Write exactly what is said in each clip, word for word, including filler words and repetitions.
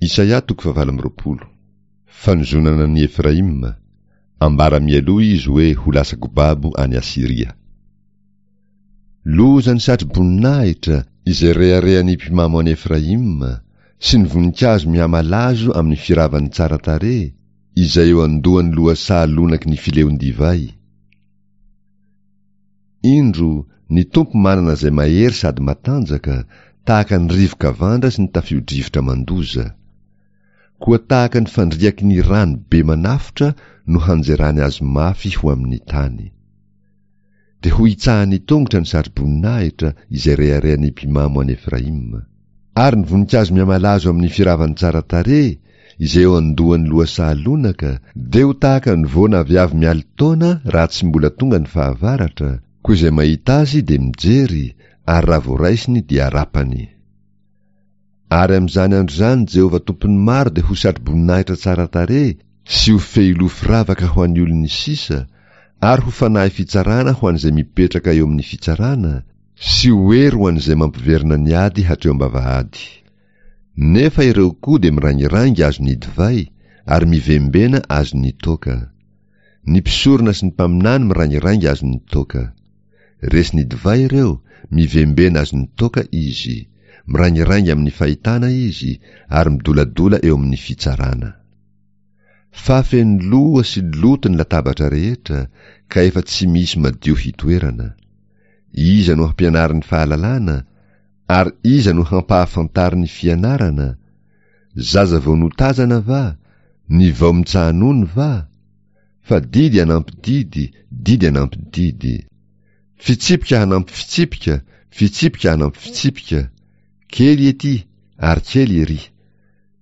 Isaia toko fahavalo amby roapolo. Fanozonana an'i Efraima, ambara mialoha izy hoe ho lasa-ko babo any Asyria. Loza ny satro-boninahitra izay reharehan'ny mpimamo an'i Efraima, sy ny voninkazo mihamalazo amin'ny firavan'ny tsara tarehy, izay eo andohan'ny lohasaha lonaky ny fileon-divay. Indro, ny Tompo manana izay mahery sady matanjaka, tahaka ny rivo-kavandra sy ny tafio-drivotra mandoza. Koa tahaka ny fandriaky ny rano be manafotra no hanjerany azy mafy ho amin'ny tany. Dia ho hitsahan'ny tongotra ny satro-boninahitra izay reharehan'ny mpimamo an'i Efraima. Ary ny voninkazo mihamalazo amin'ny firavan'ny tsara tarehy, izay eo andohan'ny lohasaha lonaka, dia ho tahaka ny voana aviavy mialin-taona raha tsy mbola tonga ny fahavaratra, koa izay mahita azy dia mijery, ary raha voaraisiny dia arapany. Ary amin'izany andro izany Jehovah Tompon'ny maro dia ho satro-boninahitra tsara tarehy sy ho fehiloha firavaka ho an'ny olon'ny sisa, ary ho fanahy fitsarana ho an'izay mipetraka eo amin'ny fitsarana, sy ho hery ho an'izay mampiverina ny ady hatreo am-bavahady. Nefa ireo koa dia mirangirangy azon'ny divay, ary mivembena azon'ny toaka. Ny mpisorona sy ny mpaminany mirangirangy azon'ny toaka. Resin'ny divay ireo, mivembena azon'ny toaka izy, mirangirangy amin'ny fahitana izy, ary midoladola eo amin'ny fitsarana. Fa feno loha sy loto ny latabatra rehetra, ka efa tsy misy madio hitoerana. Iza no hampianarin'ny fahalalana, ary iza no hampahafantarin'ny fianarana? Zaza vao notazana va? Ny vao mitsaha-nono va? Fa didy hanampy didy, didy hanampy didy. Fitsipika hanampy fitsipika, fitsipika hanampy fitsipika. Kely ety, ary kely ery.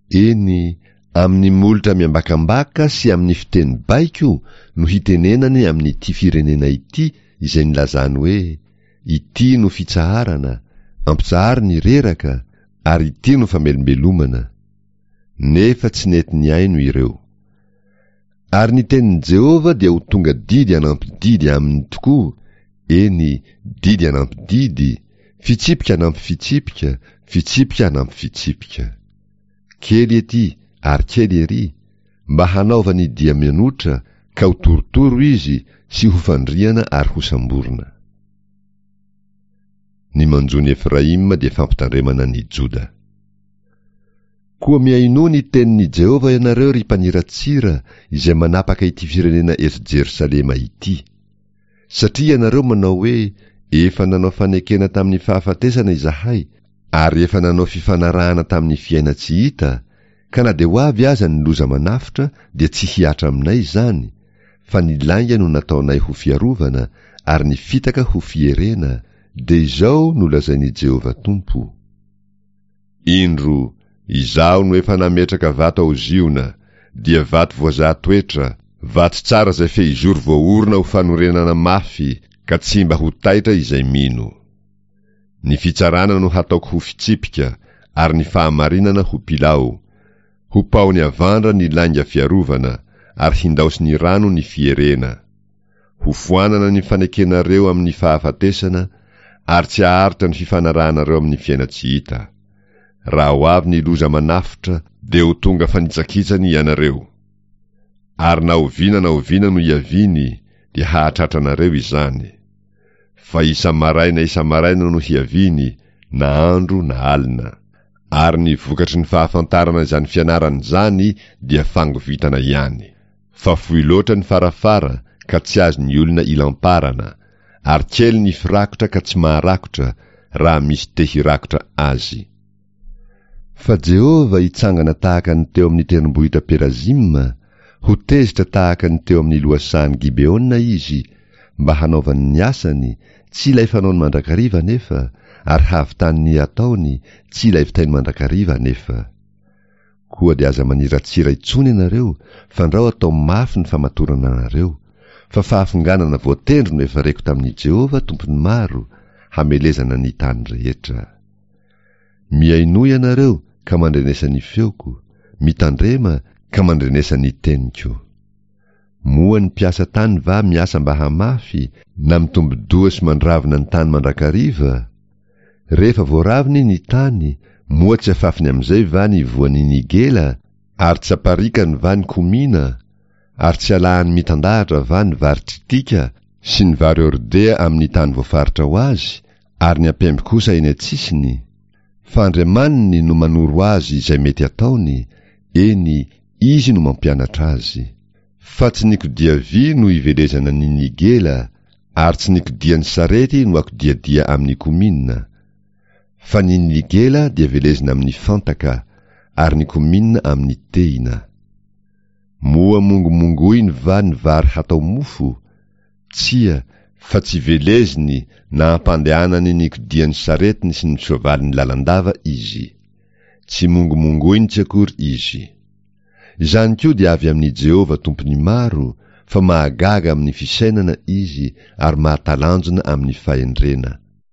Eny, amin'ny molotra miambakambaka sy amin'ny fiteny baiko no hitenenany amin'ity firenena ity izay nilazany hoe, ity no fitsaharana, ampitsaharo ny reraka, ary ity no famelombelomana. Nefa tsy nety nihaino ireo. Ary ny tenin'i Jehovah dia ho tonga didy hanampy didy aminy tokoa, eny, didy hanampy didy, fitsipika hanampy fitsipika, fitsipika hanampy fitsipika. Kely ety ary kely ery, mba hanaovany dia mianotra, ka ho torotoro izy sy ho fandriana ary ho samborina. Ny manjo ny Efraima dia fampitandremana ny Joda. Koa mihainoa ny tenin'i Jehovah ianareo, ry mpaniratsira, izay manapaka ity firenena eto Jerosalema ity. Satria ianareo manao hoe, efa nanao fanekena tamin'ny fahafatesana izahay, ary efa nanao fifanarahana tamin'ny fiaina tsy hita, ka na dia ho avy aza ny loza manafotra dia tsy hihatra aminay izany, fa ny lainga no nataonay ho fiarovana, ary ny fitaka ho fierena, dia izao no lazain'i Jehovah Tompo. Indro, izaho no efa nametraka vato ao Ziona, dia vato voazaha toetra, vato tsara izay fehizoro voaorina ho fanorenana mafy, ka tsy mba ho taitra izay mino. Ny fitsarana no hataoko ho fitsipika, ary ny fahamarinana ho pilao. Ho paony avandra ny lainga fiarovana, ary hindaosin'ny rano ny fierena. Ho foanana ny fanekenareo amin'ny fahafatesana, ary tsy haharitra ny fifanarahanareo amin'ny fiaina tsy hita. Raha ho avy ny loza manafotra, dia ho tonga fanitsakitsany ianareo. Ary na oviana na oviana no hiaviany, dia hahatratra anareo izany. Fa isa-maraina isa-maraina no hiaviany, na andro na alina. Ary ny vokatry ny fahafantarana izany fianarana izany dia fangovitana ihany. Fa fohy loatra ny farafara ka tsy azon'ny olona ilamparana, ary kely ny firakotra ka tsy maharakotra raha misy te hirakotra azy. Fa Jehovah hitsangana tahaka ny teo amin'ny tendrombohitra Perazima, ho tezitra tahaka ny teo amin'ny lohasahan'i Gibeona izy, mba hanaovany ny asany, tsy ilay fanaony mandrakariva anefa, ary hahavitany ny ataony, tsy ilay vitainy mandrakariva anefa. Koa dia aza maniratsira intsony ianareo, fandrao atao mafy ny famatorana anareo, fa fahafonganana voatendry no efa reko tamin'i Jehovah Tompon'ny maro, hamelezana ny tany rehetra. Mihainoa ianareo ka mandrenesa ny feoko, mitandrema ka mandrenesa ny teniko. Moa ny mpiasa tany va miasa mba hamafy, na mitombo-doha sy mandravina ny tany mandrakariva? Rehefa voaraviny ny tany, Moa tsy afafiny amin'izay va ny voan'ny nigela, ary tsy aparikany va ny komina, ary tsy alahany mitandahatra va ny vary tritika sy ny vary hordea amin'ny tany voafaritra ho azy, ary ny ampemby kosa eny an-tsisiny? Fa Andriamaniny no manoro azy izay mety ataony, eny, Izy no mampianatra azy. Fa tsy ny kodia vy no ivelezana ny nigela, ary tsy ny kodian'ny sarety no akodiadia amin'ny komina. Fa ny nigela dia velezina amin'ny fantaka, ary ny komina amin'ny tehina. Moa mongomongoiny va ny vary hatao mofo? Tsia, fa tsy veleziny na ampandehanany ny kodian'ny saretiny sy ny soavaliny lalandava izy. Tsy mongomongoiny tsy akory izy. Izany koa dia avy amin'i Jehovah Tompon'ny maro, fa mahagaga amin'ny fisainana izy ary mahatalanjona amin'ny fahendrena.